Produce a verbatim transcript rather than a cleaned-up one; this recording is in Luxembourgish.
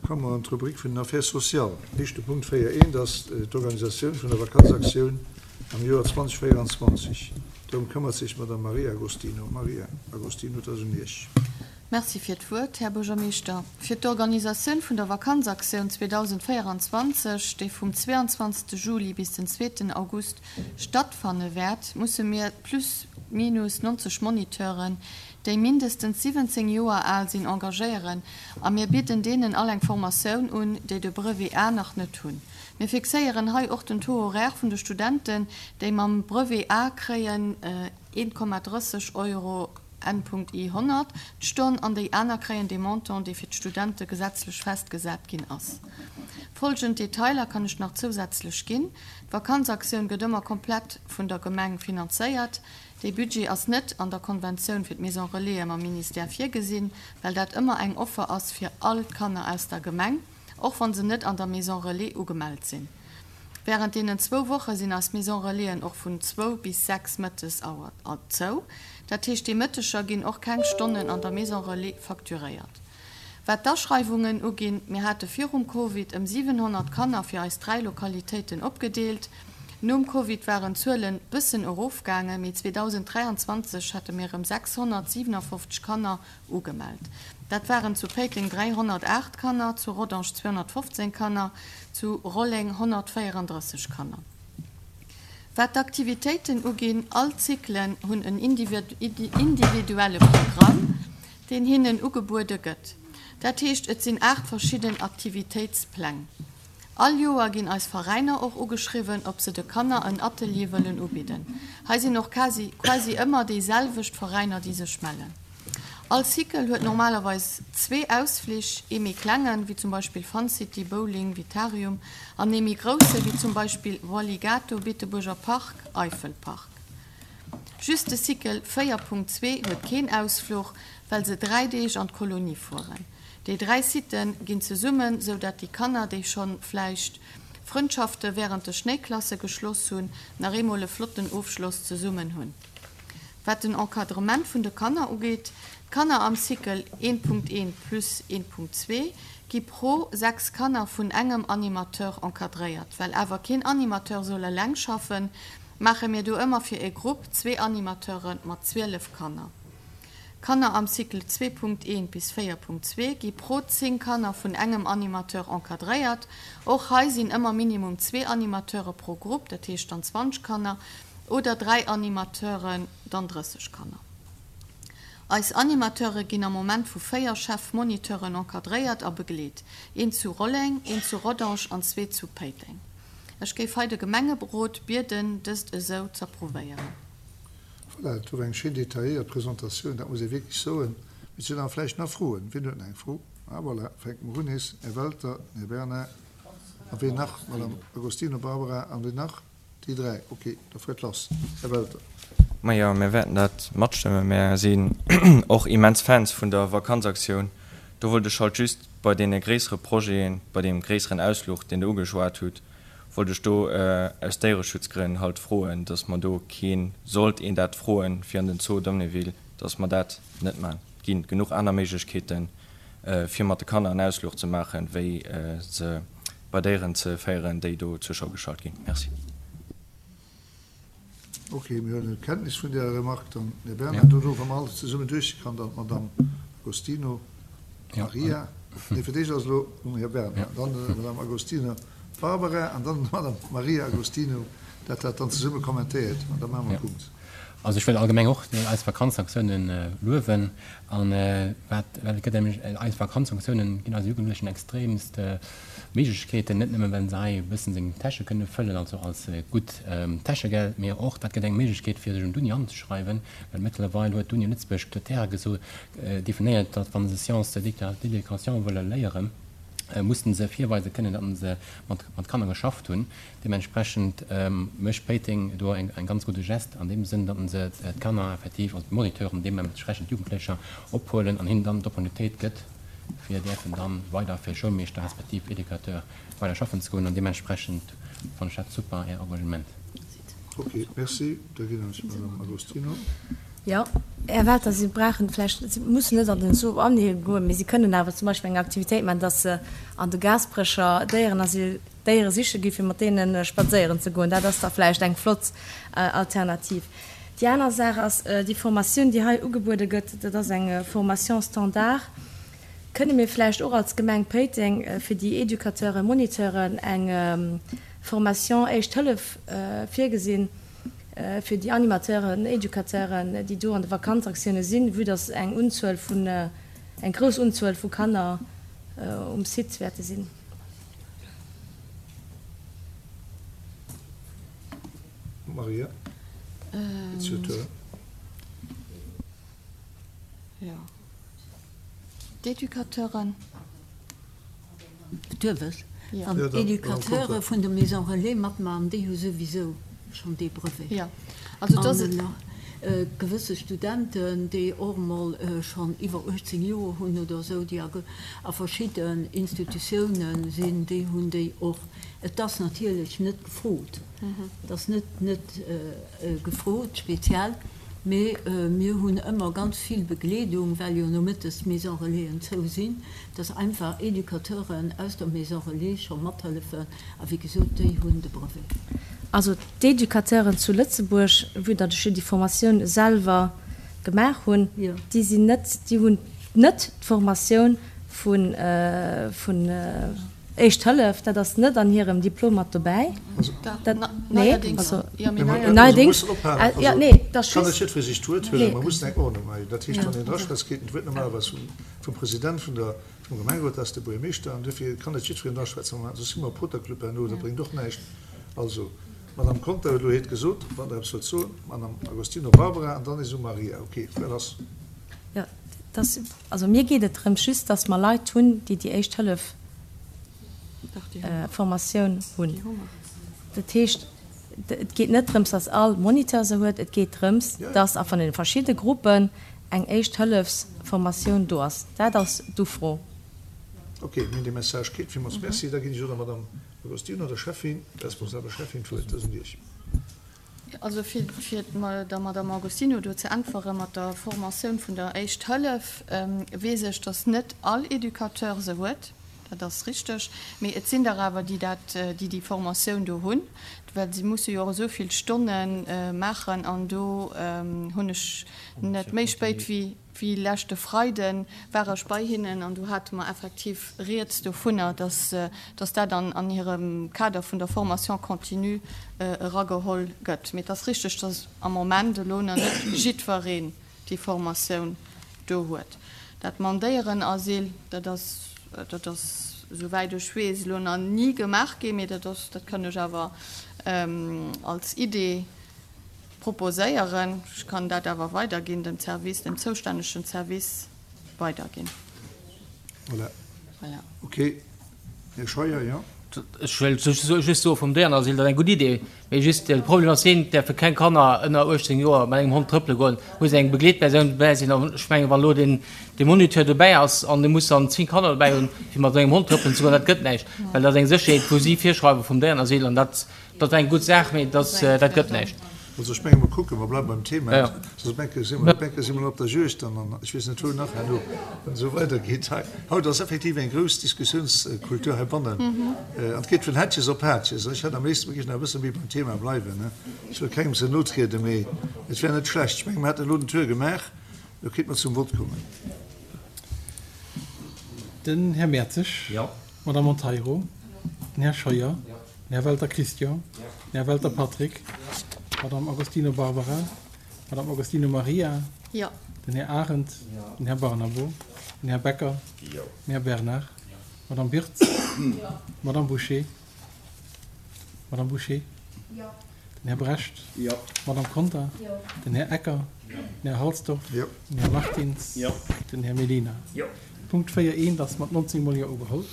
komme mer an d'Rubrik vun den Affaires sociales. Éischte Punkt véier eent ass d'Organisatioun vun der Vakanzaktioun am Joer zwanzeg véieranzwanzeg. Dorëm këmmert sech d'Madame Maria Agostino. Maria Agostino, et ass un Iech. Merci fir d'Wuert, Här Buergermeeschter. Fir d'Organisatioun vun der Vakanzaktioun zweedausendvéierenzwanzeg, déi vum zweeanzwanzegste Juli bis den zweeten August stattfanne wäert, musse mir plus minus neunzeg Moniteuren, déi mindestens siwwenzéng Joer al sinn, engagéieren a mir bidden deenen all eng Formatioun un, déi de Brevet A nach net hunn. Mir fixéieren hei och den Taux horaire vun de Studenten, déi mam Brevet A kréien een Komma drësseg Euro N Punkt I honnert d'Stonn an déi aner kréien dee Montant, dee fir d'Studente gesetzlech festgesat ginn ass. Folgend Detailer kann ech nach zousätzlech ginn. D'Vakanzaktioun gëtt ëmmer komplett vun der Gemeng finanzéiert. Dee Budget ass net an der Konventioun fir d'Maison Relais mam Ministère virgesinn, well dat ëmmer eng Offer ass fir all d'Kanner aus der Gemeng, och wann se net an der Maison Relais ugemellt sinn. Während deenen zwou Woche sinn eis Maison Relaisen och vun zwou bis sechs mëttes Auer zou. Dat heescht, déi Mëtteger ginn och keng Stonnen an der Maison Relais facturéiert. Wat d'Aschreiwungen uginn, mir hate virum Covid ëm siwenhonnert Kanner fir eis dräi Lokalitéiten opgedeelt. Nom Covid waren d'Zuelen bëssen erofgaangen, mee zweedausend dräianzwanzeg hate mir ëm sechshonnertsiwenafofzeg Kanner ugemellt. Dat waren zu Péiteng dräihonnertaacht Kanner, zu Rodange zweehonnertfofzéng Kanner, zu Rolleng honnertvéierandrësseg Kanner. Wat d'Aktivitéiten uginn, all Zyklen hunn en individuelle Programm, deen hinnen ugebuede gëtt. Dat heescht, et sinn aacht verschidden Aktivitéitspläng. All Joer ginn eis Veräiner och ugeschriwwen, ob se de Kanner en Atelier wëllen ubidden. Hei sinn och quasi, quasi ëmmer déi selwecht Veräiner, déi sech mellen. All Cycle huet normalerweis zwee Ausflich, ee méi klengen, wéi zum Beispill Fun City, Bowling, Vitarium, an ee méi grousse, wéi zum Beispill Walligato, Beetebuerger Park, Eifelpark. Just de Cycle véier Punkt zwee huet keen Ausfluch, well se dräi Deeg an d'Kolonie fueren. Déi dräi Siten ginn zesummen, sou dat déi Kanner, déi schonn vläicht Frëndschafte während de Schnéiklasse geschloss hunn, nach eemol e flotten Ofschloss zesummen hunn. Wat den Encadrement vun de Kanner ugeet, d'Kanner am Cycle een Punkt een plus een Punkt zwee gi pro sechs Kanner vun engem Animateur encadréiert. Well awer keen Animateur soll eleng schaffen, maache mir do ëmmer fir e Grupp zwee Animateure mat zwielef Kanner. Kanner am Cycle zwee Punkt een bis véier Punkt zwee gi pro zéng Kanner vun engem Animateur encadréiert. Och hei sinn ëmmer minimum zwee Animateure pro Grupp, dat heescht dann zwanzeg Kanner, oder dräi Animateuren, dann drësseg Kanner. Eis Animateure ginn am Moment vu véier Chefmoniteuren encadréiert a begleet. Een zu Rolleng, een zu Rodange an zwee zu Péiteng. Ech géif hei de Gemengerot bieden, dëst esou z'approuvéieren. Voilà, dat war eng schéin detailléiert Presentatioun, dat muss ee wierklech soen. Mir sinn awer vläicht nach Froen. Wien huet nach eng Fro? Ah voilà, fänke mer un nees. Här Welter, Här Bernard a wien nach? Madame Agostino Barbara an wien nach? Déi dräi, ok, da fuert lass. Här Welter. Majo, mir wäerten dat matstëmmen. Mir sinn och immens Fans vun der Vakanzaktioun. Do wollt ech halt just bei deene gréissere Projeten, bei deem gréisseren Ausfluch, deen Der ugeschwat hutt, wollt ech do aus Déiereschutzgrënn halt froen, dass mer do keen, sollt een dat froen, fir an den Zoo Dompneville, dass mer dat net maachen. Et ginn genuch aner Méiglechkeeten, fir mat de Kanner en Ausfluch ze maachen, wéi se bei Déieren ze féieren, déi do zur Schau gestallt ginn. Merci. Ok, mir huelen Kenntnis vun där Remarque dann, Här Bernard. Dono, wa mer alles zesummen duerch sinn, kann dann d'Madame Agostino Maria, nee, fir d'éischt ass elo um Här Bernard, dann d'Madame Agostino Barbara an dann d'Madame Maria Agostino, dat dat dann zesumme kommentéiert an da maache mer e Punkt. Also ech wëll allgemeng och eis Vakanzaktiounen luewen an wat, well et gëtt nämlech, eis Vakanzaktiounen ginn eise Jugendlechen extremst Méiglechkeeten, net nëmmen well se hei e bëssen seng Täsche kënne fëllen, also als gutt Täschegeld, mee och dat gëtt eng Méiglechkeet fir sech un d'Uni anzeschreiwen, well mëttlerweil huet d'Uni Lëtzebuerg Kritäre geso definéiert, datt wa se Sciences d'éducation wëlle léieren, mussen se virweise kënnen, datt se mat mat Kanner geschafft hunn. Deementsprechend mécht Péiteng do eng eng ganz gudde Geste an deem Sënn, datt se d'Kanner effektiv, also d'Moniteuren, deementsprechend d'Jugendlecher ophuelen an hinnen dann d'Opportunitéit gëtt, fir däerfen dann weider fir Schoulmeeschter respektiv Educateur weider schaffen ze goen. An deementsprechend fannen ech dat super, Är Engagement. Ok, merci. Da ginn ech d'Madame Agostino. Jo, Här Welter, si brauchen vläicht, si mussen net an den Zoo Anhiel goen, mee si kënnen awer zum Beispill eng Aktivitéit maachen, dass se an de Gaasperecher Déierenasyl Déiere siche gi fir mat deene spadséieren ze goen. Dat ass da vläicht eng flott Alternativ. Déi aner Saach ass, déi Formatioun, déi hei ugebuede gëtt, dat ass eng Formation standard. Kënne mir vläicht och als Gemeng Péiteng fir déi Educateuren, Moniteuren eng Formation Éischt Hëllef virgesinn, fir déi Animateuren, Educateuren, déi do an de Vakanzaktioune sinn, vue dass eng Unzuel vun, eng grouss Unzuel vu Kanner um Site wäerte sinn? Maria, it's your turn. Jo. D'Educateuren. Duerf ech? Wann d'Educateure vun der Maison Relais matmaachen, déi hu souwisou schonn dee Brevet. An nach gewësse Studenten, déi och emol schonn iwwer uechtzéng Joer hunn oder esou, déi a verschidden Institutioune sinn, déi hunn déi och. Et ass natierlech net gefrot, et ass net net gefrot speziell. Mee mir hunn ëmmer ganz vill Begleedung, well jo nomëttes d'Maison Relaisen zou sinn, dass einfach Educateuren aus der Maison Relais scho mathëllefen. A wéi gesot, déi hunn de Brevet. Also d'Educateuren zu Lëtzebuerg, vue datt ech jo déi Formatioun selwer gemaach hunn, déi sinn net, déi hunn net d'Formatioun vun, vun Éischt Hëllef, dat ass net an hirem Diplom mat dobäi. Dat, nee, also neierdéngs, jo, nee, dat ass Kann net just, jiddweree sech d'Wuert huelen, nee. Mer mussen eng Ordnung maachen. Dat heescht, wann een draschwätzt, kritt en d'Wuert normalerweis vum, vum President vun der, vum Gemengerot, dat ass de Buergermeeschter, an duerfir kann net jiddwereen draschwätzen. Mä soss si mer e Poterclub herno, dat bréngt och näischt. Also, d'Madame Conter huet elo hiert gesot, wann Der eppes wëllt soen, d'Madame Agostino Barbara, an dann is u Maria. Okay, voilà, lass. Jo, dat, also mir geet et drëms just, dass mer Leit hunn, déi déi Éischt Hëllef Formatioun hunn. Dat heescht, et geet net drëms, dass all Moniteur se huet, et geet drëms, dass a vun den verschidde Gruppen eng Éischt-Hëllefs-Formatioun do ass. Dat ass d'Ufro. Ok, mir hunn dee Message kritt. Villmools Merci. Da ginn ech elo der Madame Agostino, der Schäffin, responsabler Schäffin, d'Wuert. Dat ass un Iech. Also fir der Madame Agostino do ze äntwere mat der Formatioun vun der Éischt Hëllef, weess ech, dass net all Educateur se huet. Dat ass richteg. Mee et sinn der awer, déi dat, déi déi Formatioun do hunn, well si musse jo och esou vill Stonne maachen. An do hunn ech net méi spéit wéi Wéi leschte Freide war ech bei hinnen an do hate mer effektiv rieds dovunner, dass, dass dat an, an hirem Kader vun der Formation continue erageholl gëtt. Mee et ass richteg, dass am Moment elo nach net jiddwereen déi Formatioun do huet. Dat mam Déierenasyl, dat ass, dat ass, esouwäit ech weess, elo nach ni gemaach ginn, mee dat ass, dat kann ech awer als Idee Proposéieren. Ech kann dat awer weiderginn, dem Service, dem zoustännegen Service weiderginn. Voilà. Voilà. Okay. Här Scheuer, jo. Ech wëll just soe vum Déierenasyl, dat ass eng gutt Idee, mee just de Problem ass deen, et däerfe keng Kanner ënner uechtzéng Joer mat engem Hond trëppele goen, muss eng Begleetpersoun dobäi sinn. An ech mengen, wann elo deen de Moniteur dobäi ass an dee muss dann zéng Kanner dobäi hunn, fir mat engem Hond trëppelen ze goen, dat gëtt näischt, well dat ass eng Sécherheet, wou si virschreiwe vum Déierenasyl an dat Dat ass eng gutt Saach, mee dat gëtt näischt. Also ech menge mer kucken, mer bleiwe beim Thema, soss enke si mer, enke si mer op der Juegd dann an ech weess net wou nach herno, wann et esou weidergeet hei. Haut ass effektiv eng grouss Diskussiounskultur heibannen an et geet vun Hättches op Haatches. Ech hätt am léifsten, mer géifen nach e bësse méi beim Thema bleiwen. Ech wëll kengem ze no trieden, mee et wär net schlecht. Ech menge mer haten elo den Tour gemaach, elo kéinte mer zum Vott kommen. Den Här Mertzig. Jo. D'Madame Monteiro. Den Här Scheuer. Den Här Welter Christian. Den Här Welter Patrick. D'Madame Agostino Barbara. D'Madame Agostino Maria. Jo. Den Här Arendt. Den Här Barnabo. Den Här Becker. Den Här Bernard. D'Madame Birtz. D'Madame Bouché. D'Madame Bouché. Den Här Brecht. D'Madame Conter. Den Här Ecker. Den Här Halsdorf. Den Här Martins. Den Här Mellina. Punkt véier eent ass mat nonzéng Mol Jo ugeholl.